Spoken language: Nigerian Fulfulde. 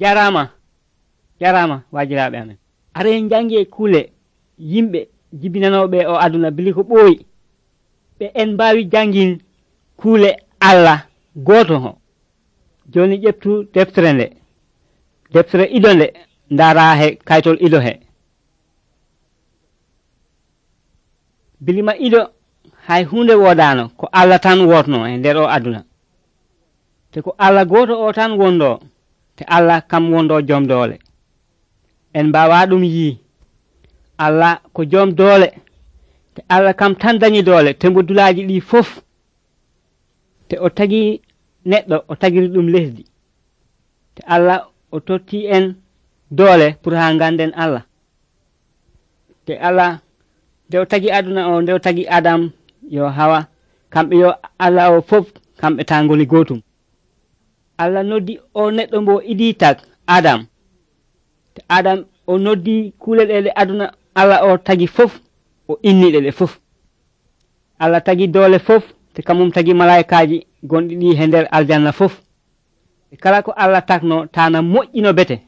jarama wajiraɓe amen. Are jange kule yimɓe jibinanoɓe o aduna bili ko ɓooyi ɓe en mbawi jangin kule Allah goto ho. Joni ƴeftu deftere nde, deftere ido nde, ndara he kaytol ido he. Bilima ido hay hunde wodano ko Allah tan wotno e nder o aduna. Te ko Allah goto o tan wondo, te Allah kam wondo jom doole. En mbawa ɗum yi Allah ko jom doole, te Allah kam tan dañi doole te mbodulaji ɗi fof. Te o tagi neɗɗo o tagiri ɗum lesdi, te Allah o totti en doole pour ha ganden Allah. Te Allah nde o tagi aduna o, nde o tagi Adam yo Hawa, kamɓe yo Allah o fof kamɓe ta ngoni gotum. Allah noddi o neɗɗo mbo idi tag Adam, te Adam o noddi kule ɗe aduna Allah o tagi fof o inniɗe ɗe fof. Allah tagi doole fof, te kamum tagi malaikaji gonɗi ɗi he nder aljanna fof. E kala ko Allah takno tana moƴƴino bete.